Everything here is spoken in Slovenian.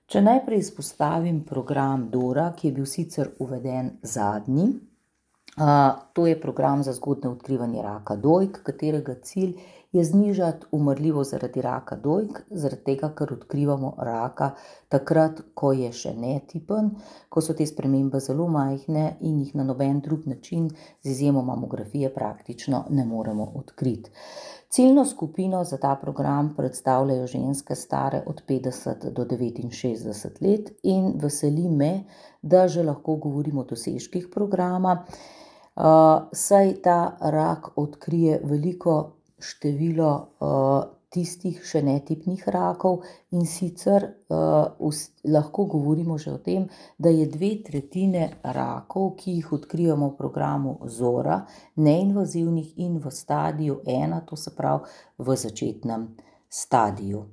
Če najprej izpostavim program Dora, ki je bil sicer uveden zadnji, to je program za zgodnje odkrivanje raka dojk, katerega cilj je znižati umrljivost zaradi raka dojk, zaradi tega, ker odkrivamo raka takrat, ko je še netipen, ko so te spremembe zelo majhne in jih na noben drug način, z izjemo mamografije, praktično ne moremo odkriti. Ciljno skupino za ta program predstavljajo ženske stare od 50 do 69 let in veseli me, da že lahko govorimo o dosežkih programa, saj ta rak odkrije veliko število tistih še netipnih rakov in sicer lahko govorimo že o tem, da je 2/3 rakov, ki jih odkrijemo v programu Zora, neinvazivnih in v stadiju 1, to se pravi v začetnem stadiju.